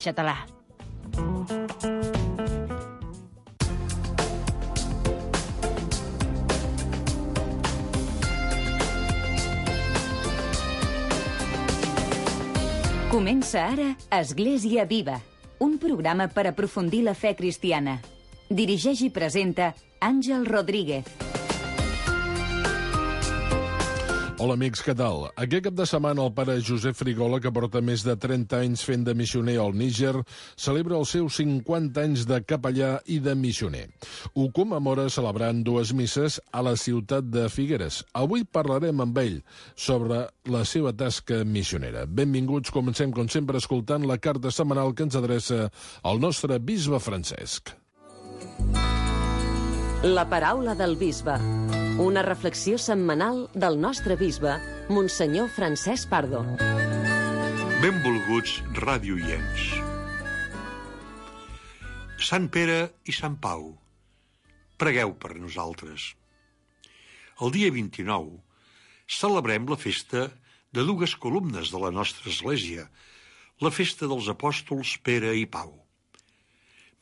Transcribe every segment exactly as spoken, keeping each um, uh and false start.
Català. Comença ara Església Viva, un programa per aprofundir la fe cristiana. Dirigeix i presenta Àngel Rodríguez. Hola amics, què tal? Aquest cap de setmana el pare Josep Frigola, que porta més de trenta anys fent de missioner al Níger, celebra els seus cinquanta anys de capellà i de missioner. Ho commemora celebrant dues misses a la ciutat de Figueres. Avui parlarem amb ell sobre la seva tasca missionera. Benvinguts, comencem com sempre escoltant la carta setmanal que ens adreça el nostre bisbe Francesc. La paraula del bisbe. Una reflexió setmanal del nostre bisbe, Monsenyor Francesc Pardo. Benvolguts radioients. Sant Pere i Sant Pau, pregueu per nosaltres. El dia vint-i-nou celebrem la festa de dues columnes de la nostra església, la festa dels apòstols Pere i Pau.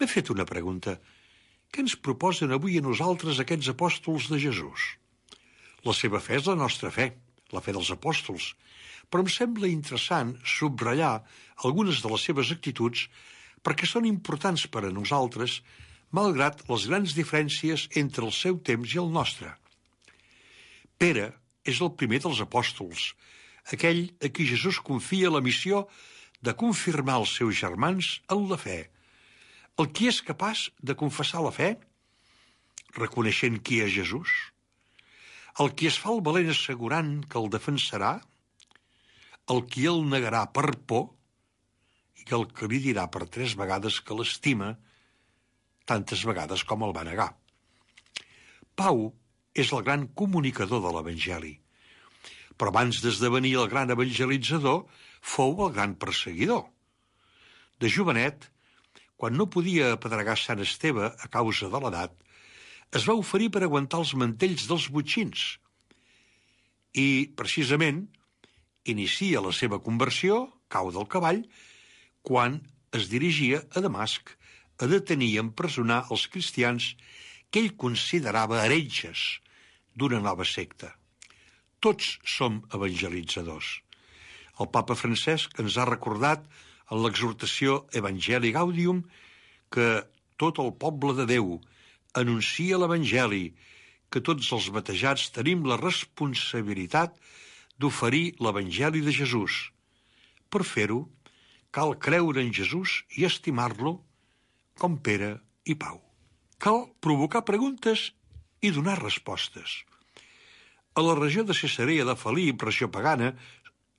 M'he fet una pregunta. Què ens proposen avui a nosaltres aquests apòstols de Jesús? La seva fe és la nostra fe, la fe dels apòstols, però em sembla interessant subratllar algunes de les seves actituds perquè són importants per a nosaltres, malgrat les grans diferències entre el seu temps i el nostre. Pere és el primer dels apòstols, aquell a qui Jesús confia la missió de confirmar els seus germans en la fe. El qui és capaç de confessar la fe, reconeixent qui és Jesús? El qui es fa el valent assegurant que el defensarà? El qui el negarà per por? I el que li dirà per tres vegades que l'estima, tantes vegades com el va negar. Pau és el gran comunicador de l'Evangeli, però abans d'esdevenir el gran evangelitzador, fou el gran perseguidor. De jovenet, quan no podia apedregar Sant Esteve a causa de l'edat, es va oferir per aguantar els mantells dels botxins. I, precisament, inicia la seva conversió, cau del cavall, quan es dirigia a Damasc a detenir i empresonar els cristians que ell considerava heretges d'una nova secta. Tots som evangelitzadors. El papa Francesc ens ha recordat en l'exhortació Evangelii Gaudium que tot el poble de Déu anuncia l'Evangeli, que tots els batejats tenim la responsabilitat d'oferir l'Evangeli de Jesús. Per fer-ho, cal creure en Jesús i estimar-lo com Pere i Pau. Cal provocar preguntes i donar respostes. A la regió de Cesarea de Felip, regió pagana,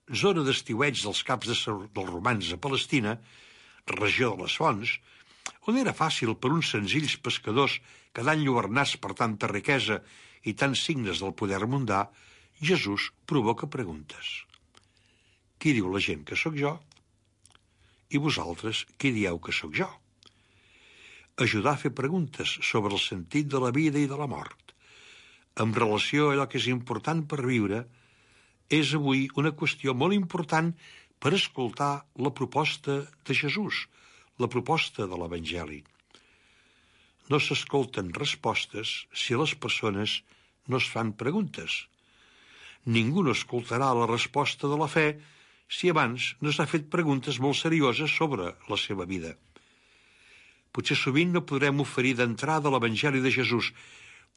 zona d'estiueig dels caps de dels romans a Palestina, regió de les fonts, on era fàcil per uns senzills pescadors quedar enlluernats per tanta riquesa i tants signes del poder mundà, Jesús provoca preguntes. Qui diu la gent que sóc jo? I vosaltres, qui dieu que sóc jo? Ajudar a fer preguntes sobre el sentit de la vida i de la mort, en relació a allò que és important per viure, és avui una qüestió molt important per escoltar la proposta de Jesús, la proposta de l'Evangeli. No s'escolten respostes si les persones no es fan preguntes. Ningú no escoltarà la resposta de la fe si abans no s'ha fet preguntes molt serioses sobre la seva vida. Potser sovint no podrem oferir d'entrada l'Evangeli de Jesús,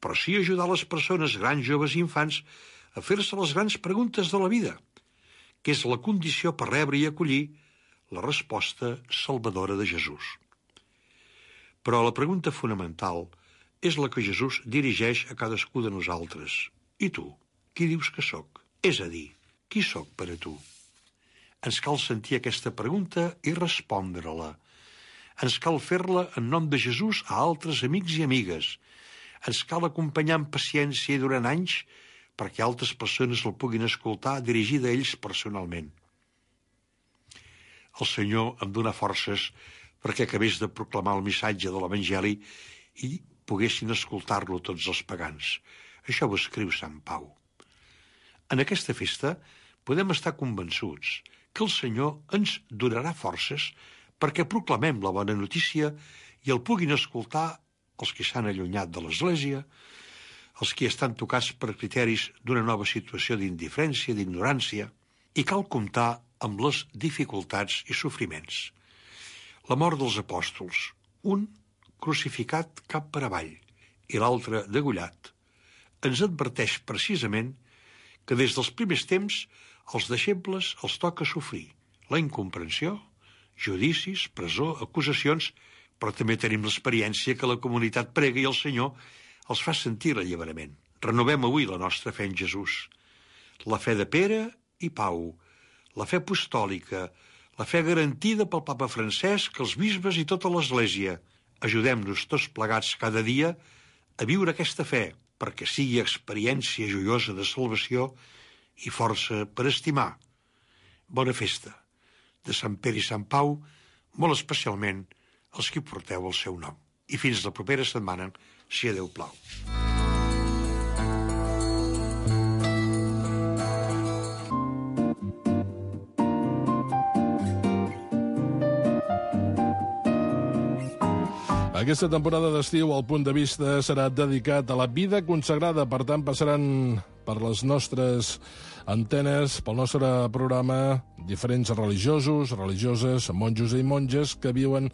però sí ajudar les persones, grans, joves i infants, a fer-se les grans preguntes de la vida, que és la condició per rebre i acollir la resposta salvadora de Jesús. Però la pregunta fonamental és la que Jesús dirigeix a cadascú de nosaltres. I tu, qui dius que sóc? És a dir, qui sóc per a tu? Ens cal sentir aquesta pregunta i respondre-la. Ens cal fer-la en nom de Jesús a altres amics i amigues. Ens cal acompanyar amb paciència i durant anys perquè altres persones el puguin escoltar dirigida a ells personalment. El Senyor em dona forces perquè acabés de proclamar el missatge de l'Evangeli i poguessin escoltar-lo tots els pagans. Això ho escriu Sant Pau. En aquesta festa podem estar convençuts que el Senyor ens donarà forces perquè proclamem la bona notícia i el puguin escoltar els que s'han allunyat de l'Església, els que estan tocats per criteris d'una nova situació d'indiferència, d'ignorància, i cal comptar amb les dificultats i sofriments. La mort dels apòstols, un crucificat cap per avall i l'altre degollat, ens adverteix precisament que des dels primers temps als deixebles els toca sofrir la incomprensió, judicis, presó, acusacions, però també tenim l'experiència que la comunitat prega i el Senyor els fa sentir l'alliberament. Renovem avui la nostra fe en Jesús. La fe de Pere i Pau, la fe apostòlica, la fe garantida pel papa Francesc, els bisbes i tota l'Església. Ajudem-nos tots plegats cada dia a viure aquesta fe, perquè sigui experiència joiosa de salvació i força per estimar. Bona festa de Sant Pere i Sant Pau, molt especialment els que porteu el seu nom. I fins la propera setmana, si a Déu plau. Aquesta temporada d'estiu, el punt de vista serà dedicat a la vida consagrada. Per tant, passaran per les nostres antenes, pel nostre programa, diferents religiosos, religioses, monjos i monges que viuen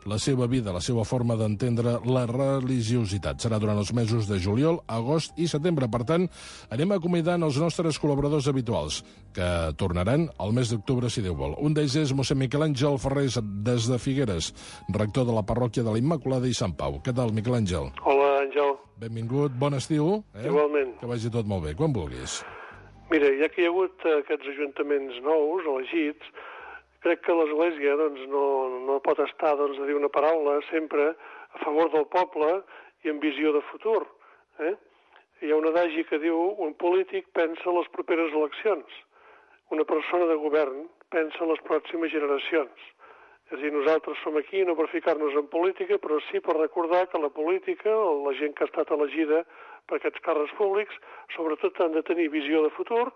la seva vida, la seva forma d'entendre la religiositat. Serà durant els mesos de juliol, agost i setembre. Per tant, anem acomiadant els nostres col·laboradors habituals, que tornaran al mes d'octubre, si Déu vol. Un d'ells és mossèn Miquel Àngel Ferrés, des de Figueres, rector de la parròquia de la Immaculada i Sant Pau. Què tal, Miquel Àngel? Hola, Àngel. Benvingut, bon estiu. Eh? Igualment. Que vagi tot molt bé, quan vulguis. Mira, ja que hi ha hagut aquests ajuntaments nous, elegits, crec que l'Església doncs, no, no pot estar doncs, a dir una paraula sempre a favor del poble i amb visió de futur. Eh? Hi ha un adagi que diu un polític pensa en les properes eleccions, una persona de govern pensa en les pròximes generacions. És a dir, nosaltres som aquí no per ficar-nos en política, però sí per recordar que la política, la gent que ha estat elegida per aquests càrrecs públics, sobretot han de tenir visió de futur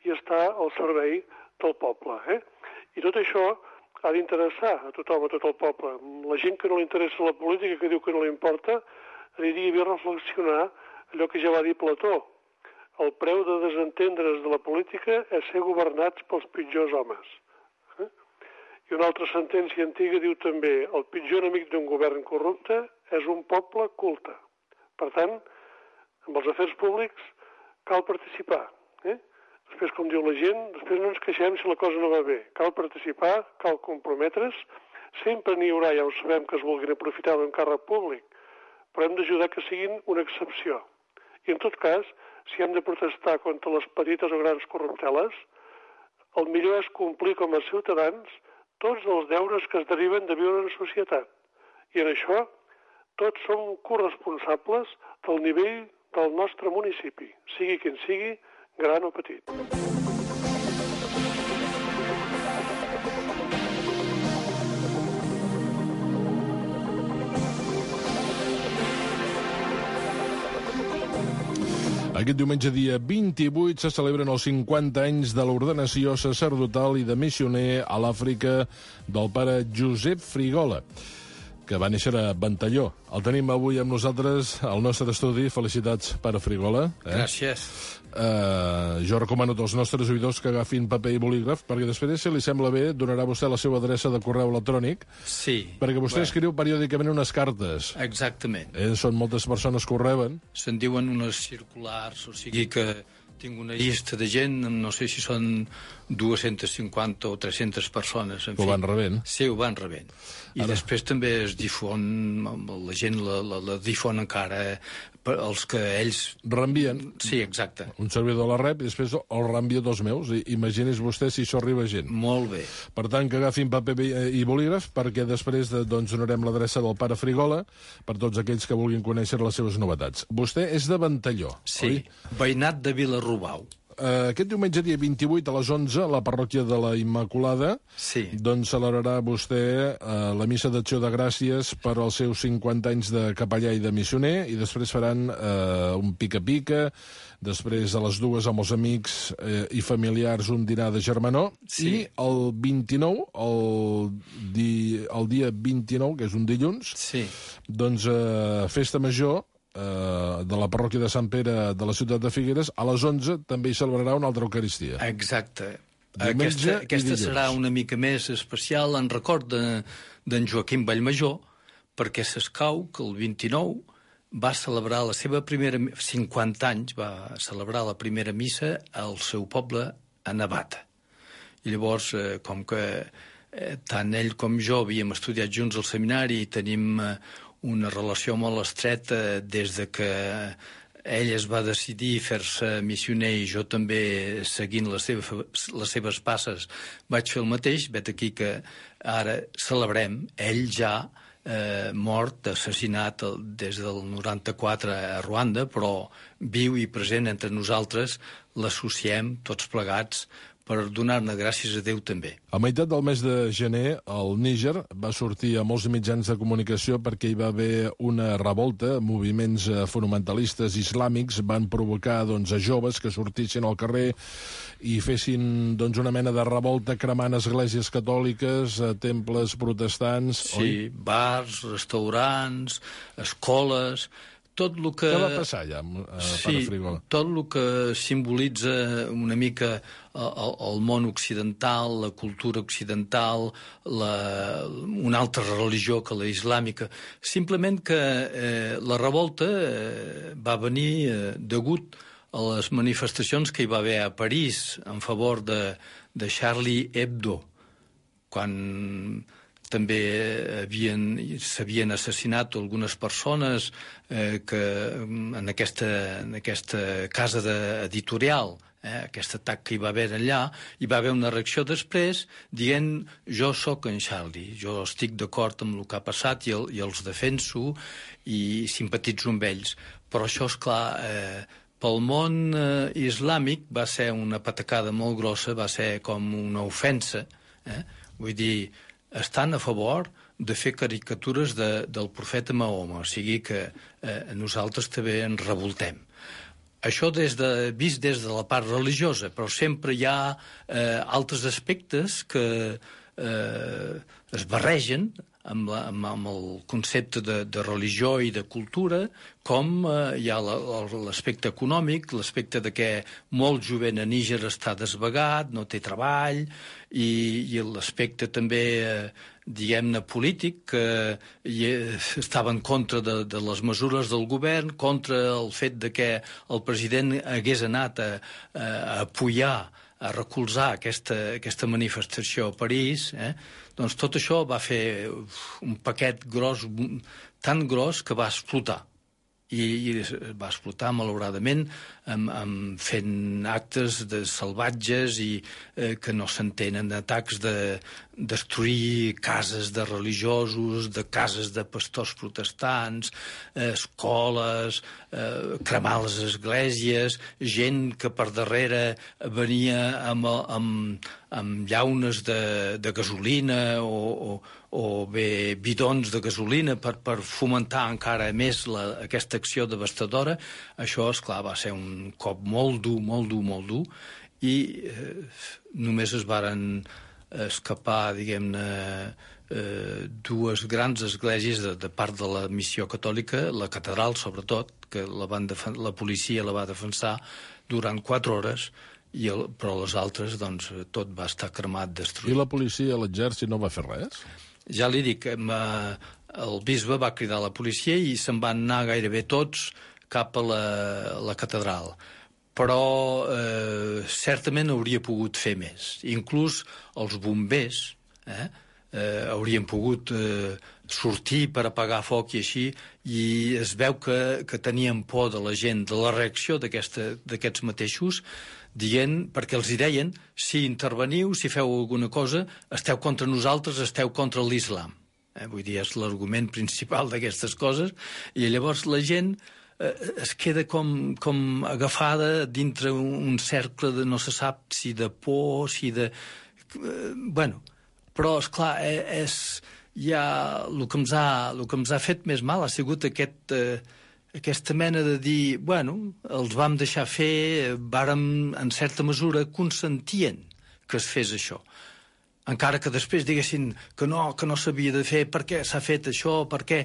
i estar al servei del poble. Eh? I tot això ha d'interessar a tothom, a tot el poble. La gent que no li interessa la política, que diu que no li importa, aniria bé reflexionar allò que ja va dir Plató. El preu de desentendre's de la política és ser governats pels pitjors homes. Eh? I una altra sentència antiga diu també el pitjor enemic d'un govern corrupte és un poble culte. Per tant, amb els afers públics cal participar. Eh? Després, com diu la gent, després no ens queixem si la cosa no va bé. Cal participar, cal comprometre's. Sempre n'hi haurà, ja ho sabem, que es vulguin aprofitar d'un càrrec públic, però hem d'ajudar que siguin una excepció. I en tot cas, si hem de protestar contra les petites o grans corrupteles, el millor és complir com a ciutadans tots els deures que es deriven de viure en societat. I en això tots som corresponsables del nivell del nostre municipi, sigui quin sigui, gran o petit. Aquest diumenge, dia vint-i-vuit, se celebren els cinquanta anys de l'ordenació sacerdotal i de missioner a l'Àfrica del pare Josep Frigola, que va néixer a Ventalló. El tenim avui amb nosaltres al nostre estudi. Felicitats, pare Frigola. Eh? Gràcies. Uh, jo recomano als nostres oïdors que agafin paper i bolígraf, perquè després, si li sembla bé, donarà vostè la seva adreça de correu electrònic. Sí. Perquè vostè bueno. escriu periòdicament unes cartes. Exactament. Eh, són moltes persones que ho reben. Se'n diuen unes circulars, o sigui que tinc una llista de gent, no sé si són dues-centes cinquanta o tres-centes persones. En ho fi. van rebent. Sí, ho van rebent. I Ara... després també es difon, la gent la, la, la difon encara per els que ells... Reenvien. Sí, exacte. Un servidor la rep i després el reenvia dos meus. I, imagini's vostè si això arriba a gent. Molt bé. Per tant, que agafin paper i bolígraf, perquè després de, doncs, donarem l'adreça del pare Frigola per tots aquells que vulguin conèixer les seves novetats. Vostè és de Ventalló, sí, oi? Veïnat de Vilarrobau. eh, aquest diumenge, dia vint-i-vuit, a les onze, a la parròquia de la Immaculada, Sí. doncs celebrarà vostè eh, la missa d'acció de gràcies per als seus cinquanta anys de capellà i de missioner, i després faran eh, un pica-pica, després a les dues amb els amics eh, i familiars un dinar de germanor, Sí. i el vint-i-nou, el, di, el dia vint-i-nou, que és un dilluns, Sí. doncs eh, festa major eh, de la parròquia de Sant Pere de la ciutat de Figueres, a les onze també hi celebrarà una altra Eucaristia. Exacte. Diumenge Aquesta, i aquesta dilluns. serà una mica més especial en record de- d'en Joaquim Vallmajor, perquè s'escau que el vint-i-nou va celebrar la seva primera... cinquanta anys, va celebrar la primera missa al seu poble, a Navata. I llavors, eh, com que eh, tant ell com jo havíem estudiat junts al seminari i tenim eh, una relació molt estreta des de que ell es va decidir fer-se missioner i jo també, seguint les seves, les seves passes, vaig fer el mateix. Vet aquí que ara celebrem, ell ja eh, mort, assassinat el, des del noranta-quatre a Ruanda, però viu i present entre nosaltres, l'associem tots plegats per donar-ne gràcies a Déu també. A meitat del mes de gener, el Níger va sortir a molts mitjans de comunicació perquè hi va haver una revolta. Moviments eh, fonamentalistes islàmics van provocar doncs, a joves que sortissin al carrer i fessin doncs, una mena de revolta cremant esglésies catòliques, eh, temples protestants... Sí, oi? Bars, restaurants, escoles... Tot el que... Què va passar allà, eh, sí, Pare Frigola? Tot el que simbolitza una mica el, el món occidental, la cultura occidental, la, una altra religió que la islàmica. Simplement que eh, la revolta eh, va venir eh, degut a les manifestacions que hi va haver a París en favor de, de Charlie Hebdo, quan també havien, s'havien assassinat algunes persones eh, que en aquesta, en aquesta casa de, editorial, eh, aquest atac que hi va haver allà, hi va haver una reacció després dient jo sóc en Charlie, jo estic d'acord amb el que ha passat i, el, i els defenso i simpatitzo amb ells. Però això, esclar, eh, pel món eh, islàmic va ser una patacada molt grossa, va ser com una ofensa, eh? Vull dir, estan a favor de fer caricatures de, del profeta Mahoma, o sigui que eh, nosaltres també ens revoltem. Això des de, vist des de la part religiosa, però sempre hi ha eh, altres aspectes que eh, es barregen amb, la, amb, amb el concepte de, de religió i de cultura, com eh, hi ha l'aspecte econòmic, l'aspecte de que molt jovent a Níger està desvagat, no té treball, i, i l'aspecte també, eh, diguem-ne, polític, que eh, estava en contra de, de les mesures del govern, contra el fet de que el president hagués anat a, a, a apoyar, a recolzar aquesta, aquesta manifestació a París, eh? Doncs tot això va fer un paquet gros, tan gros que va explotar. I, i va explotar, malauradament, amb, amb fent actes de salvatges i eh, que no s'entenen, atacs de destruir cases de religiosos, de cases de pastors protestants, eh, escoles, eh, cremar les esglésies, gent que per darrere venia amb, amb, amb llaunes de, de gasolina o, o, o bé bidons de gasolina per, per fomentar encara més la, aquesta acció devastadora. Això, esclar, va ser un cop molt dur, molt dur, molt dur, i eh, només es varen escapar, diguem-ne, eh, dues grans esglésies de, de part de la missió catòlica, la catedral, sobretot, que la, van la policia la va defensar durant quatre hores, i el, però les altres, doncs, tot va estar cremat, destruït. I la policia, l'exèrcit, no va fer res? Ja li dic, el bisbe va cridar la policia i se'n van anar gairebé tots cap a la, la catedral. Però eh, certament hauria pogut fer més. Inclús els bombers eh, eh, haurien pogut eh, sortir per apagar foc i així, i es veu que, que tenien por de la gent, de la reacció d'aquests mateixos, dient, perquè els hi deien, si interveniu, si feu alguna cosa, esteu contra nosaltres, esteu contra l'islam. Eh, vull dir, és l'argument principal d'aquestes coses, i llavors la gent eh, es queda com, com agafada dintre un, un cercle de no se sap si de por, si de... Eh, bueno, però, esclar, eh, és... Ja el que ens ha, el que ens ha fet més mal ha sigut aquest, eh, aquesta mena de dir, bueno, els vam deixar fer, vàrem, en certa mesura, consentien que es fes això. Encara que després diguessin que no, que no s'havia de fer, per què s'ha fet això, per què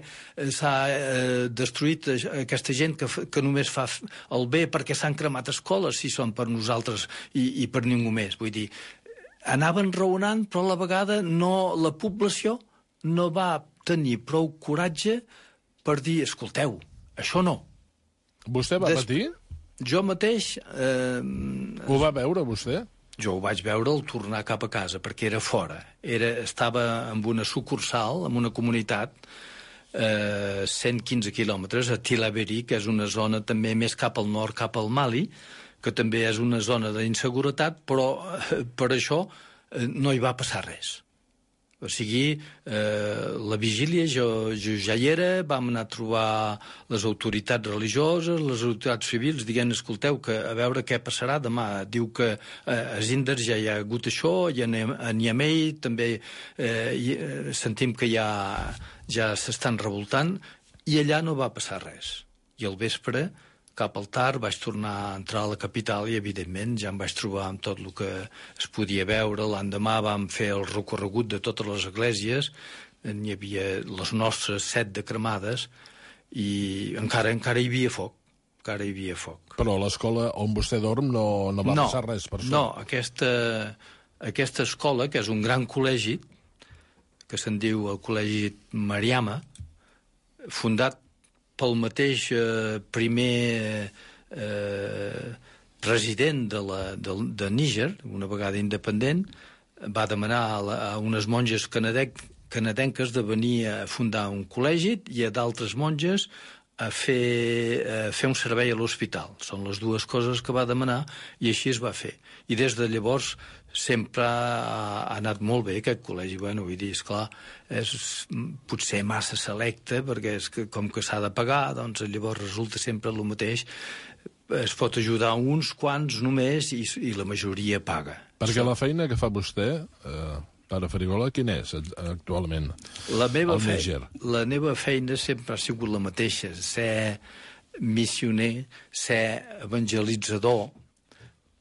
s'ha eh, destruït aquesta gent que, que només fa el bé, perquè s'han cremat escoles, si són per nosaltres i, i per ningú més. Vull dir, anaven raonant, però a la vegada no, la població no va tenir prou coratge per dir, escolteu, això no. Vostè va Des... patir? Jo mateix... Eh... Ho va veure, vostè? Jo ho vaig veure al tornar cap a casa, perquè era fora. Era, estava en una sucursal, en una comunitat, eh, cent quinze quilòmetres, a Tillabéri, que és una zona també més cap al nord, cap al Mali, que també és una zona d'inseguretat, però eh, per això eh, no hi va passar res. O sigui, eh, la vigília jo, jo ja hi era, vam anar a trobar les autoritats religioses, les autoritats civils, dient, escolteu, que a veure què passarà demà. Diu que eh, a Zinders ja hi ha hagut això, i a Niamey també eh, i, eh, sentim que ja, ja s'estan revoltant, i allà no va passar res. I al vespre, cap al tard, vaig tornar a entrar a la capital i, evidentment, ja em vaig trobar amb tot el que es podia veure. L'endemà vam fer el recorregut de totes les esglésies, n'hi havia les nostres set de cremades, i encara encara hi havia foc, encara hi havia foc. Però a l'escola on vostè dorm no, no va no, passar res per això? No, aquesta, aquesta escola, que és un gran col·legi, que se'n diu el Col·legi Mariama, fundat pel mateix eh, primer eh, president de, la, de, de Níger, una vegada independent, va demanar a, la, a unes monges canadenc, canadenques de venir a fundar un col·legi i a d'altres monges a fer, a fer un servei a l'hospital. Són les dues coses que va demanar i així es va fer. I des de llavors sempre ha, ha anat molt bé aquest col·legi. Bueno, vull dir, esclar, és potser massa selecte, perquè és que, com que s'ha de pagar, doncs llavors resulta sempre el mateix. Es pot ajudar uns quants només i, i la majoria paga. Perquè la feina que fa vostè, eh, pare Farigola, quina és actualment? La meva, feina, la meva feina sempre ha sigut la mateixa, ser missioner, ser evangelitzador,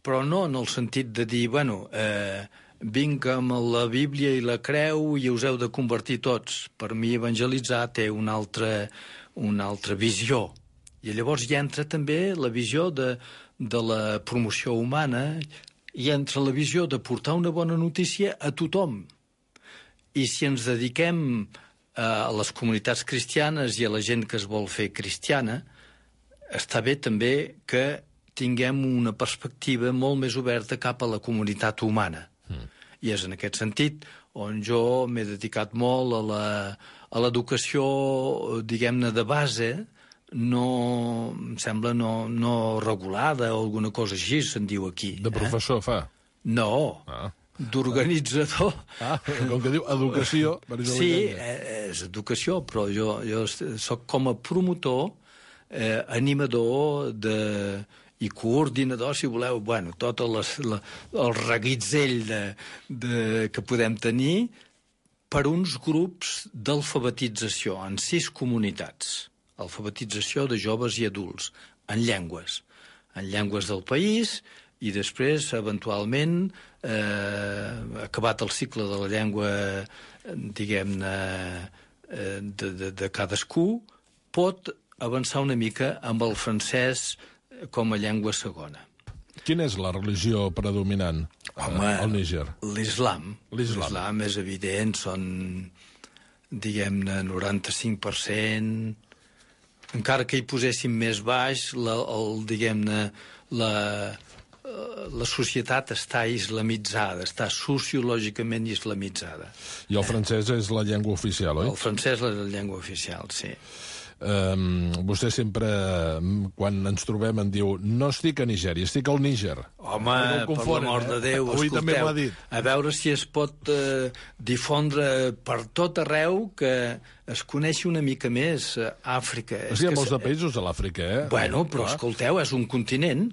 però no en el sentit de dir, bueno, eh, vinc amb la Bíblia i la creu i us heu de convertir tots. Per mi evangelitzar té una altra, una altra visió. I llavors hi entra també la visió de, de la promoció humana, hi entra la visió de portar una bona notícia a tothom. I si ens dediquem a les comunitats cristianes i a la gent que es vol fer cristiana, està bé també que tinguem una perspectiva molt més oberta cap a la comunitat humana. Mm. I és en aquest sentit on jo m'he dedicat molt a la, a l'educació, diguem-ne, de base, no, em sembla, no, no regulada o alguna cosa així, se'n diu aquí. De professor, eh? Fa? No, ah. d'organitzador. Ah, com que diu educació... Sí, és educació, però jo, jo soc com a promotor, eh, animador de... i coordinador, si voleu, bueno, tot les, la, el reguitzell de, de, que podem tenir per uns grups d'alfabetització en sis comunitats. Alfabetització de joves i adults, en llengües. En llengües del país i després, eventualment, eh, acabat el cicle de la llengua, diguem-ne, eh, de, de, de cadascú, pot avançar una mica amb el francès com a llengua segona. Quina és la religió predominant Home, al Níger? L'islam. L'islam és evident, són, diguem-ne, noranta-cinc per cent. Encara que hi poséssim més baix, la, el, diguem-ne, la, la societat està islamitzada, està sociològicament islamitzada. I el francès és la llengua oficial, oi? El francès és la llengua oficial, sí. Um, vostè sempre, quan ens trobem, em diu no estic a Nigèria, estic al Níger. Home, no confonen, per l'amor de Déu, eh? Avui també m'ho ha dit. A veure si es pot eh, difondre per tot arreu que es coneixi una mica més Àfrica. Hi ha molts de països a l'Àfrica, eh? Bueno, però Clar. Escolteu, és un continent,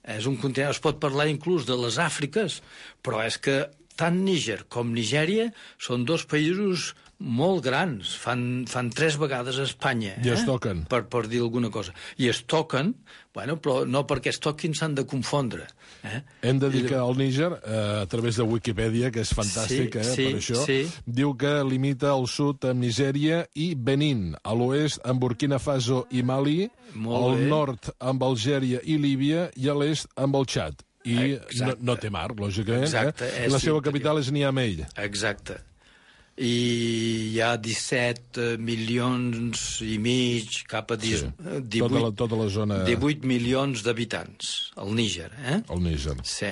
és un continent, es pot parlar inclús de les Àfriques, però és que tant Níger com Nigèria són dos països molt grans, fan, fan tres vegades a Espanya. I es eh? toquen. Per, per dir alguna cosa. I es toquen, bueno, però no perquè es toquin s'han de confondre. Eh? Hem de dir que el Níger, eh, a través de Wikipedia, que és fantàstic, Sí, eh, sí, per això, sí. diu que limita al sud amb Nigèria i Benín, a l'oest amb Burkina Faso i Mali, Molt al bé. nord amb Algèria i Líbia i a l'est amb el Txad. I no, Exacte. no té mar, lògicament. Exacte, eh? és I la seva interior. capital és Niamey. Exacte. I hi ha disset milions i mig, cap a Sí. divuit, Tota la- tota la zona- divuit milions d'habitants, al Níger, eh? El Níger. Sí.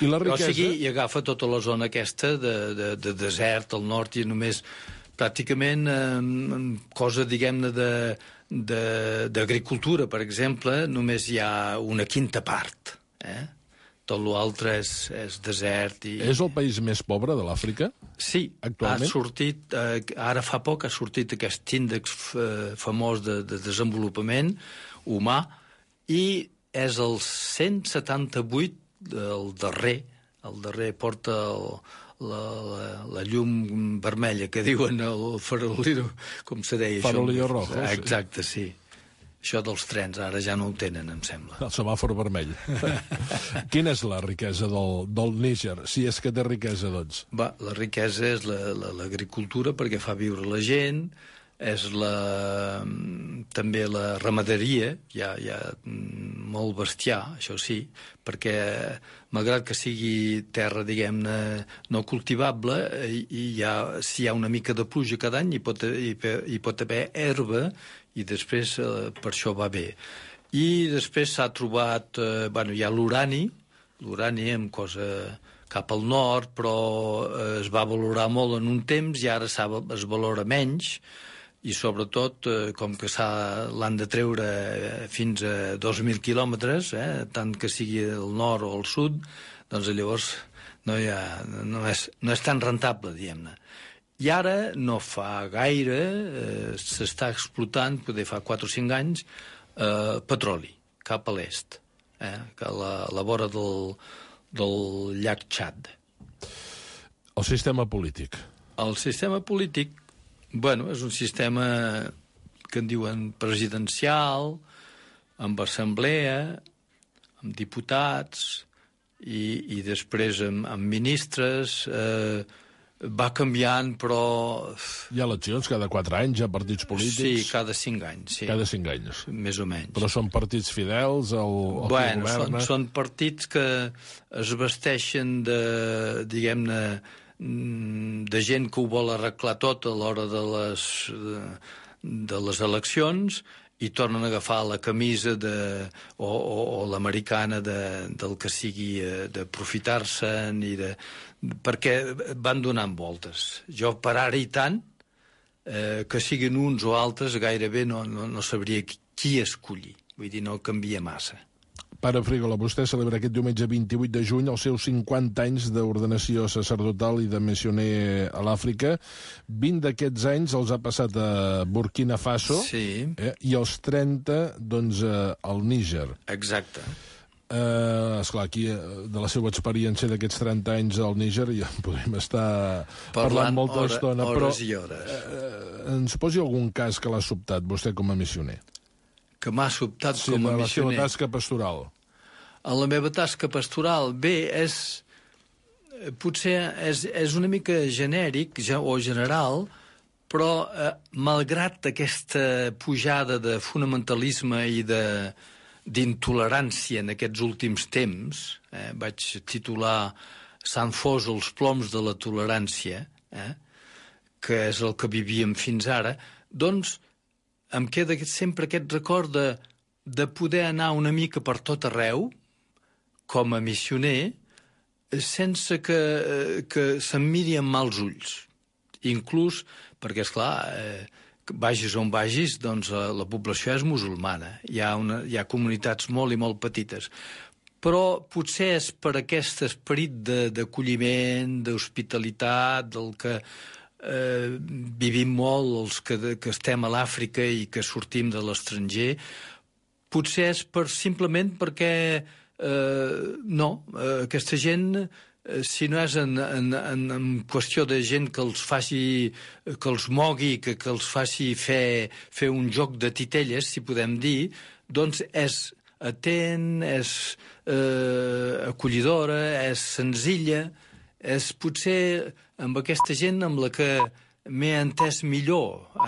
I la riquesa? O sigui, i agafa tota la zona aquesta de, de, de desert al nord i només pràcticament eh, cosa, diguem-ne, de de- d'agricultura, per exemple, només hi ha una quinta part. Eh? Tot l'altre és, és desert. I... És el país més pobre de l'Àfrica? Sí, Actualment? ha sortit, eh, ara fa poc ha sortit aquest índex eh, famós de, de desenvolupament humà i és el cent setanta-vuit del darrer, el darrer porta el, la, la, la llum vermella que diuen el farolero, com se deia Farolillo això? rojo, sí. Exacte, sí. Això dels trens ara ja no ho tenen, em sembla. El semàfor vermell. Quina és la riquesa del, del Níger, si és que té riquesa, doncs? Va, la riquesa és l'agricultura, la, la, perquè fa viure la gent, és la, també la ramaderia, hi ha, hi ha molt bestiar, això sí, perquè malgrat que sigui terra, diguem-ne, no cultivable, i, i hi ha, si hi ha una mica de pluja cada any hi pot, hi, hi pot haver herba i després eh, per això va bé. I després s'ha trobat, eh, bueno, hi ha l'urani, l'urani amb cosa cap al nord, però eh, es va valorar molt en un temps i ara es valora menys, i sobretot, eh, com que l'han de treure eh, fins a dos mil quilòmetres, eh, tant que sigui al nord o al sud, doncs llavors no, hi ha, no, és, no és tan rentable, diguem-ne. I ara, no fa gaire, eh, s'està explotant, poder fa quatre o cinc anys, eh, petroli, cap a l'est, eh, a la, la vora del, del llac Txad. El sistema polític. El sistema polític, bueno, és un sistema que en diuen presidencial, amb assemblea, amb diputats, i, i després amb, amb ministres, eh, va canviant, però... Hi ha eleccions cada quatre anys, hi ha partits polítics... Sí, cada cinc anys, sí. Cada cinc anys. Més o menys. Però són partits fidels al, al bueno, que governa? Són, són partits que es vesteixen de, diguem-ne, de gent que ho vol arreglar tot a l'hora de les, de, de les eleccions i tornen a agafar la camisa de, o, o, o l'americana de, del que sigui, d'aprofitar-se'n i de... perquè van donant voltes. Jo, per ara i tant, eh, que siguin uns o altres, gairebé no, no, no sabria qui escollir. Vull dir, no canvia massa. Pare Frígola, vostè celebra aquest diumenge vint-i-vuit de juny els seus cinquanta anys d'ordenació sacerdotal i de missioner a l'Àfrica. vint d'aquests anys els ha passat a Burkina Faso, sí. eh, i els trenta, doncs, eh, al Níger. Exacte. Eh, esclar, aquí, de la seva experiència d'aquests trenta anys al Níger, ja podem estar parlant, parlant molta hora, estona, hores però i hores. Eh, ens posi algun cas que l'ha sobtat, vostè com a missioner. Que m'ha sobtat Sí, com a la missioner. seva tasca pastoral. A la meva tasca pastoral, bé, és... Potser és, és una mica genèric ja, o general, però eh, malgrat aquesta pujada de fonamentalisme i de d'intolerància en aquests últims temps, eh, vaig titular Sant Fos els ploms de la tolerància, eh, que és el que vivíem fins ara, doncs em queda sempre aquest record de, de poder anar una mica per tot arreu, com a missioner, sense que, que se'm miri amb mals ulls. Inclús, perquè, esclar, eh, vagis on vagis, doncs la, la població és musulmana. Hi ha, una, hi ha comunitats molt i molt petites. Però potser és per aquest esperit d'acolliment, d'hospitalitat, del que eh, vivim molt, els que, que estem a l'Àfrica i que sortim de l'estranger, potser és per, simplement perquè eh, no, eh, aquesta gent, eh, si no és en, en, en, en qüestió de gent que els faci, que els mogui, que, que els faci fer, fer un joc de titelles, si podem dir, doncs és atent, és eh, acollidora, és senzilla, és potser amb aquesta gent amb la que m'he entès millor